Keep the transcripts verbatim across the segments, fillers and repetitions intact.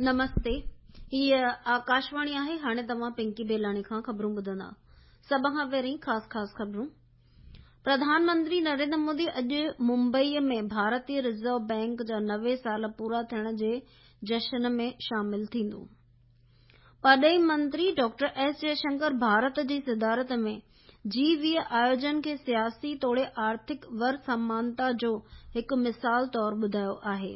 نمستي، هيء آڪاشواڻي آهي. هاڻي توهان پنڪي بيلاڻي کان خبرون ٻڌندا. سڀ کان پهرين خاص خاص خبرون. پرڌان منتري نريندر مودي اڄ ممبئيء ۾ ڀارتي رزرو بئنڪ جا نوي سال پورا ٿيڻ جي جشن ۾ شامل ٿيندو. پرڏيهي منتري ڊاڪٽر ايس جئشنڪر ڀارت جي صدارت ۾ جي ويهه آيوجن کي سياسي توڙي آرٿڪ ور سمانتا جو هڪ مثال طور ٻڌايو آهي.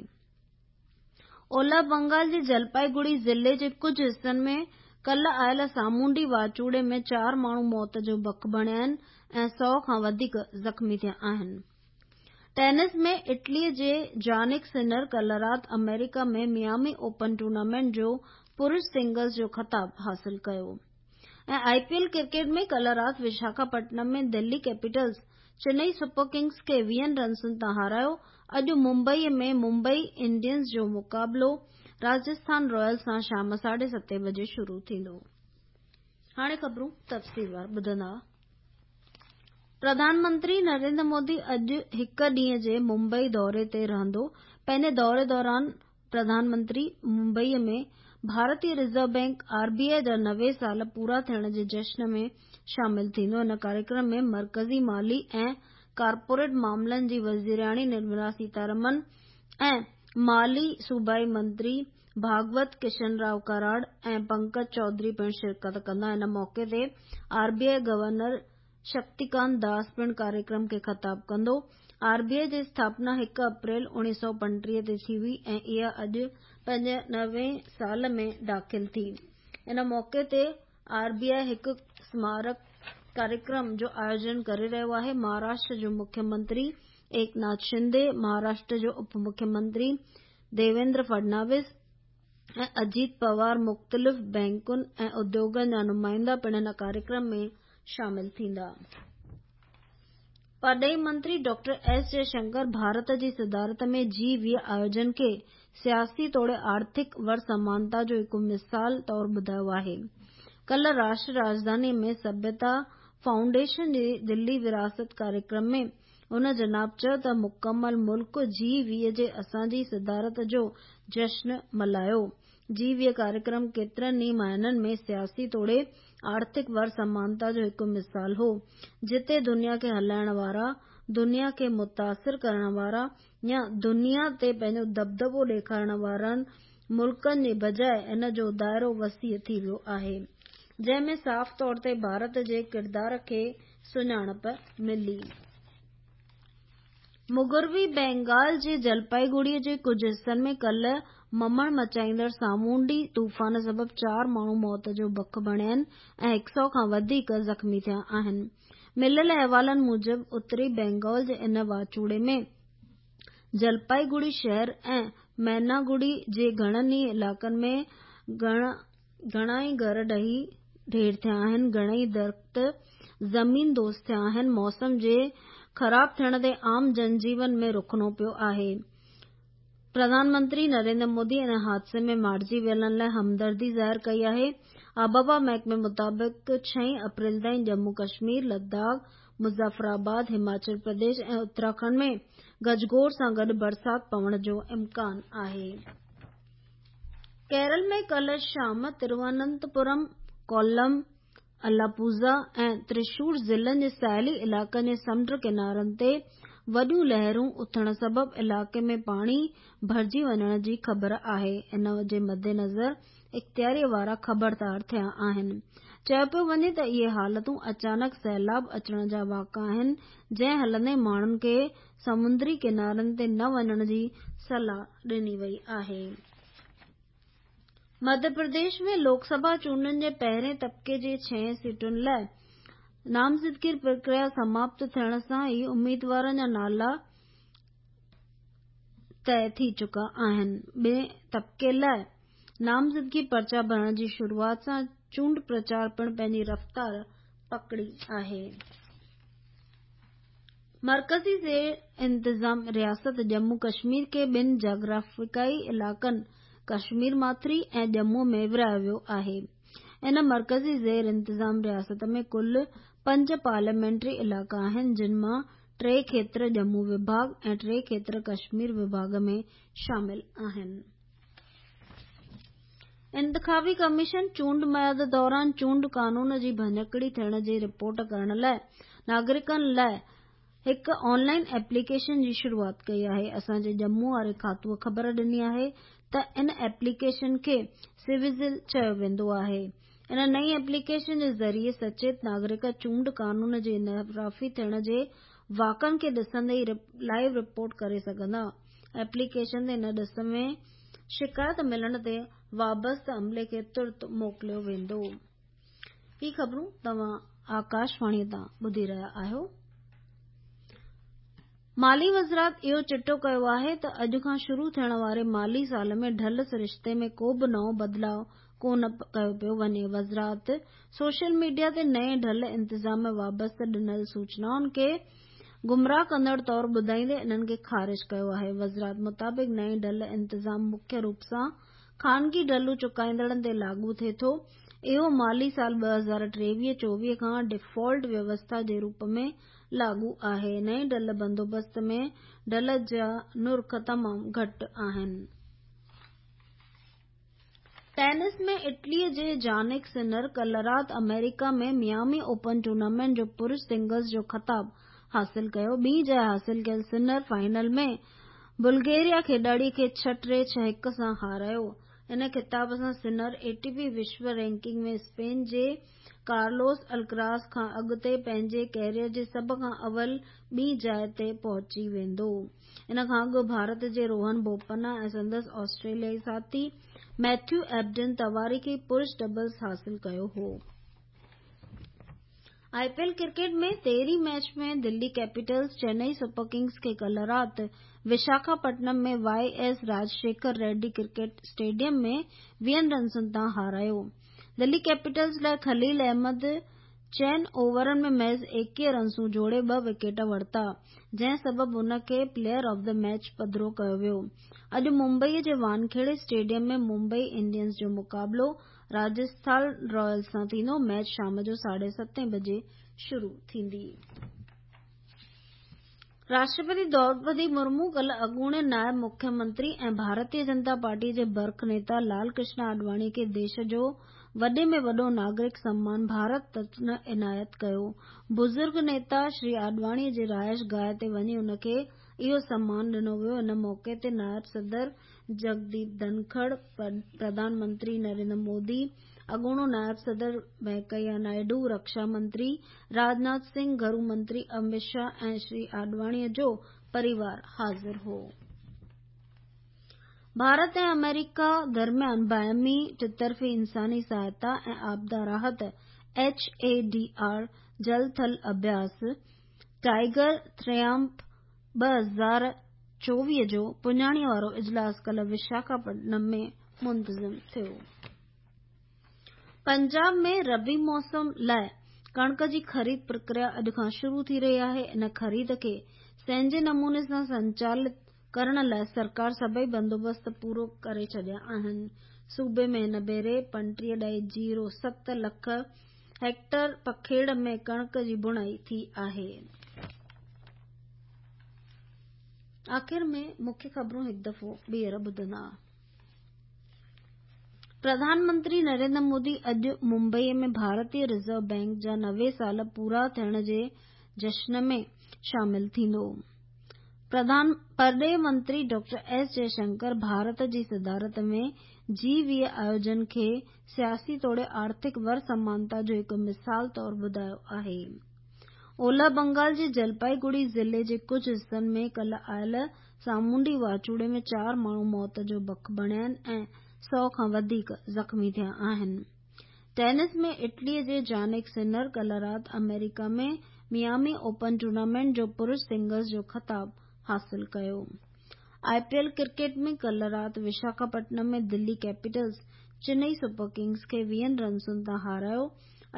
اولهه بنگال جي جلپائيگڙي ضلعي جي ڪجهه حصن ۾ ڪالهه آيل سامونڊي واچوڙي ۾ چار ماڻهو موت جو بک بڻيا آهن ۽ سؤ کان وڌيڪ زخمي ٿيا آهن. ٽينس ۾ اٽلي جي جانڪ سنر ڪالهه رات آمريڪا ۾ ميامي اوپن ٽورنامينٽ جو پرش سنگلز جو خطاب حاصل ڪيو. ۽ آء پي ايل ڪرڪيٽ ۾ ڪالهه رات Visakhapatnam ۾ Delhi Capitals Chennai Super Kings کي ويهن رنسن تان هارايو. اڄ ممبئي ۾ ممبئي انڊينز جو مقابلو راجسٿان رائلز سان شام ساڍي ستين بجي شروع ٿيندو. هاڻي خبرون تفصيلوار ٻڌندا. پرڌان منتري نريندر مودي اڄ هڪ ڏينهن جي ممبئي دوري تي رهندو. پنهنجي دوري دوران پرڌان منتري ممبئي ۾ ڀارتي reserve bank R B I جا نوي سال پورا ٿيڻ جي جشن ۾ شامل ٿيندو. ان ڪاريڪرم ۾ مرڪزي مالي ۽ ڪارپوريٽ معاملن جي وزيرياڻي نرملا سيتارمن ۽ مالي صوبائي منتري ڀاڳوت ڪشن رائو ڪراڙ ۽ پنڪج چوڌري پڻ شرڪت ڪندا. ان موقعي تي R B I governor Shaktikanta Das پڻ ڪاريڪرم کي خطاب ڪندو. آر بي آء جي اسٿاپنا هڪ اپريل اڻويهه سؤ پنٽيهه تي ٿي هئي ۽ اها اڄ پنهنجي نوي سال ۾ داخل ٿي. ان موقعي تي آر بي آء هڪ سمارڪ ڪاريڪرم جو آيوجن ڪري رهيو آهي. مهاراشٽر جو مکيه منتري ايڪناٿ شندي، مهاراشٽر جو اپ مکيه منتري ديويندر فڊناوس ۽ اجيت پوار، مختلف بئنڪن ۽ اديوگن جا نمائندا پڻ هن ڪاريڪرم ۾ شامل ٿيندا. پرڏيهي منتري ڊاڪٽر ايس جئشنڪر ڀارت جي صدارت ۾ جي ويهه آيوجن کي سياسي توڙي آرٿڪ ور سمانتا جو هڪ مثال طور ٻڌايو آهي. ڪالهه راشٽر راڄڌاني ۾ سڀيتا فائونڊيشن جي دلي وراثت ڪاريڪرم ۾ هن جناب چيو ته مڪمل ملڪ جي ويهه جي اسان جي صدارت جو جشن ملهايو. جي ويهه ڪاريڪرم ڪيترن ئي معنن ۾ سياسي توڙي آرٿڪ ور سمانتا جو هڪ مثال هو، جتي دنيا کي هلائڻ وارا، دنيا کي متاثر ڪرڻ وارا يا دنيا تي پنهنجو دٻدٻو ڏيکارڻ وارن ملڪن جي بجاء ان جو دائرو وسيع ٿي ويو آهي، جنهن ۾ صاف طور تي ڀارت جي ڪردار کي سڃاڻپ ملي. مغربي بينگال جي جلپائيگڙي جي ڪجهه حصن ۾ ڪالهه ممڻ مچائيندڙ سامونڊي طوفان سبب چار ماڻهو موت جو بک بڻيا آهن ۽ هڪ سؤ کان وڌيڪ زخمي ٿيا آهن. مليل احوالن موجب اتري بينگال جي ان واچوڙي ۾ جلپائيگڙي شهر ۽ ميناگڙي جي گهڻن ئي علائقن ۾ گهڻا ئي گهر ڊهي ڍير ٿيا آهن، گهڻئي درخت زمين دوز ٿيا آهن. موسم جي خراب ٿيڻ تي عام جنجيون ۾ رخنو پيو آهي. پرڌان منتري نريندر مودي ان حادثي ۾ مارجي ويلن لاء همدردي ظاهر ڪئي آهي. آبهوا محڪمي مطابق ڇهين اپريل تائين ڄمون ڪشمير، لداخ، مظفر آباد، هماچل پرديش ۽ اتراکنڊ ۾ گجگوڙ سان گڏ برسات پوڻ جو امڪان آهي. ڪيرل ۾ ڪالهه شام ترواننتپورم، ڪولم، الاپوزا ۽ ترشور ضلعن جي ساحلي علائقن جي سمنڊ ڪنارن تي وڏيون لهرون اٿڻ سبب علائقي ۾ پاڻي ڀرجي وڃڻ جي خبر آهي. ان جي مدنظر اختياري وارا خبردار ٿيا آهن. چيو پيو وڃي ته اهي حالتون اچانڪ سيلاب اچڻ جا واقعا آهن، جنهن هلندي ماڻهن کي سامونڊي ڪنارن تي نه وڃڻ جي صلاح ڏني وئي آهي. مڌيه پرديش ۾ لوڪ سڀا چونڊن جي پهرين طبقي جي ڇهه سيٽن لاء نامزدگي پرڪريا سماپت ٿيڻ سان ئي اميدوارن جا نالا طئي ٿي چڪا آهن. ٻئي طبقي لاء نامزدگي پرچا ڀرڻ جي شروعات سان چونڊ پرچار پڻ پنهنجي رفتار پڪڙي آهي. مرڪزي زير انتظام رياست ڄمون ڪشمير کي ٻن جاگرافيائي علائقن ڪشمير ماٿري ۽ ڄمون ۾ ورهايو ويو آهي. ان مرڪزي زير انتظام رياست ۾ ڪل پنج پارليامينٽري علائقا آهن، جن مان ٽي کيتر ڄمون وڀاڳ ۽ ٽي کيتر ڪشمير وڀاڳ ۾ شامل آهن. انتخابي ڪميشن چونڊ ميعاد دوران چونڊ قانون جي ڀڃڪڙي ٿيڻ جي رپورٽ ڪرڻ لاءِ ناگرڪن لاءِ هڪ آن لائن ايپليڪيشن جي شروعات ڪئي آهي. اسان جي ڄمون واري کاتوءَ خبر ڏني آهي ته ان ايپليڪيشن کي سي-وجل چيو ويندو آهي. ان نئين ايپليڪيشن جي ذريعي سچيت ناگرڪ چونڊ قانون جي انحرافي ٿيڻ جي واقعن کي ڏسندي ئي لائيو رپورٽ ڪري سگهندا. ايپليڪيشن تي ان ڏس ۾ شڪايت ملڻ تي وابسته عملي کي ترت موڪليو ويندو. هي خبرون توهان آڪاشواڻي تان ٻڌي رهيا آهيو. مالي وزارت اهو چٽو ڪيو آهي ته اڄ کان شروع ٿيڻ واري مالي سال ۾ ڍل سرشتي ۾ ڪو به نئون بدلاءُ ڪونه ڪيو پيو وڃي. وزارت سوشل ميڊيا تي نئين ڍل انتظام ۾ وابسته ڏنل سوچنائن کي گمراهه ڪندڙ طور ٻڌائيندي انهن کي خارج ڪيو آهي. وزارت مطابق نئين ڍل انتظام مکيه روپ سان خانگي ڍلون چڪائيندڙن تي لاڳو ٿئي ٿو. اهو مالي سال ٻه هزار ٽيويهه چوويهه کان ڊيفالٽ ويوسٿا جي روپ ۾ لاڳو آهي. نئين ڍل بندوبست ۾ ڍل جا نرخ تمام گهٽ آهن. ٽينس ۾ اٽلي جي جانڪ سنر ڪالهه رات آمريڪا ۾ ميامي اوپن ٽورنامينٽ جو پرش سنگلز جو خطاب حاصل ڪيو. ٻي جاءِ حاصل ڪيل سنر فائنل ۾ بلغيريا کيڏاڙي کي ڇهه ٽي ڇهه هڪ سان هارايو. ان خطاب سان سنر اي ٽي پي وشو رينڪنگ ۾ اسپين جي ڪارلوس الڪراز کان اڳتي پنهنجي ڪيريئر جي سڀ کان اول ٻي جاءِ تي پهچي ويندو. ان کان اڳ ڀارت جي روهن بوپنا ۽ سندس آسٽريليائي ساٿي ميٿيو ايبڊن تواريخي پرش ڊبلز حاصل ڪيو هو. I P L cricket ۾ تيرهين match ۾ Delhi Capitals Chennai Super Kings کي ڪالهه رات Visakhapatnam ۾ Y S Rajasekhar Reddy cricket stadium ۾ ويهن رنسن تان هارايو. دلي ڪيپيٽلز لاءِ خليل احمد چئن اوورن ۾ محض ايڪويهه رنسون جوڙي ٻه وڪيٽ ورتا، جنهن سبب هن کي پليئر آف the match پڌرو ڪيو ويو. اڄ ممبئي جي وانکيڙي اسٽيڊيم ۾ ممبئي انڊينز جو مقابلو راجسٿان رائلز سان ٿيندو. ميچ شام جو ساڍي ستين بجي شروع ٿيندي. راشٽرپتي دروپدي مرمو ڪالهه اڳوڻي نائب مکيه منتري ۽ ڀارتيه جنتا پارٽي جي برک نيتا لال ڪرشن آڏواڻي کي ديش جو وڏي ۾ وڏو ناگرڪ سمان ڀارت رتن عنايت ڪيو. بزرگ نيتا شري آڏواڻي جي رهائش گاهه تي وڃي ان کي اهو سمان ڏنو ويو. ان موقعي تي نائب صدر جگديپ ڌنکڙ، پرڌان منتري نريندر مودي، اڳوڻو نائب صدر وينڪيا نائيڊو، رڪشا منتري راجناٿ سنگهه، گهرو منتري امت شاهه ۽ شري آڏواڻي جو پريوار حاضر هو. ڀارت ۽ آمريڪا درميان باهمي ٽطرفي انساني سهائتا ۽ آپدا راحت ايڇ اي ڊي آر جل ٿل اڀياس ٽائيگر ٽرائمپ ٻه هزار چوويهه جو پڄاڻيءَ وارو اجلاس ڪالهه وشاکاپٽنم ۾ منتظم ٿيو. پنجاب ۾ ربيع موسم لاءِ ڪڻڪ جي خريد پرڪريا اڄ کان شروع ٿي رهي آهي. ان خريد کي سهنجي نموني سان سنچالت ڪرڻ لاءِ سرڪار سڀئي بندوبست پورو ڪري ڇڏيا آهن. صوبي ۾ هن ڀيري پنٽيهه ڏهائي زيرو ست لک هيڪٽر پکيڙ ۾ ڪڻڪ جي بڻائي ٿي آهي. آخر ۾ مکيه خبرون هڪ دفعو ٻيهر ٻڌندا. پرڌان منتري نريندر مودي اڄ ممبئي ۾ ڀارتيه رزرو بينڪ جا نوي سال پورا ٿيڻ جي جشن ۾ شامل ٿيندو. پرڌان پرڏيهه منتري ڊاڪٽر ايس جئشنڪر ڀارت جي صدارت ۾ جي ويهه آيوجن کي سياسي توڙي آرٿڪ ور سمانتا جو هڪ مثال طور ٻڌايو آهي. اولهه بنگال جي جلپائيگڙي ضلعي جي ڪجهه حصن ۾ ڪالهه آيل سامونڊي واچوڙي ۾ چار ماڻهو موت جو بک بڻيا آهن ۽ سؤ کان وڌيڪ زخمي ٿيا آهن. ٽينس ۾ اٽلي جي جانڪ سنر ڪالهه رات آمريڪا ۾ ميامي اوپن ٽورنامينٽ جو پرش سنگلز جو خطاب حاصل ڪيو. I P L cricket ۾ ڪالهه رات Visakhapatnam ۾ Delhi Capitals Chennai Super Kings کي ويهن رنسن تان هارايو.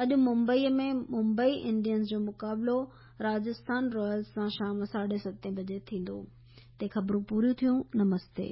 اڄ ممبئي ۾ ممبئي انڊينز جو مقابلو راجسٿان رائلز سان شام ساڍي ستين بجي ٿيندو. تي خبرون پوريون ٿيون. نمستي.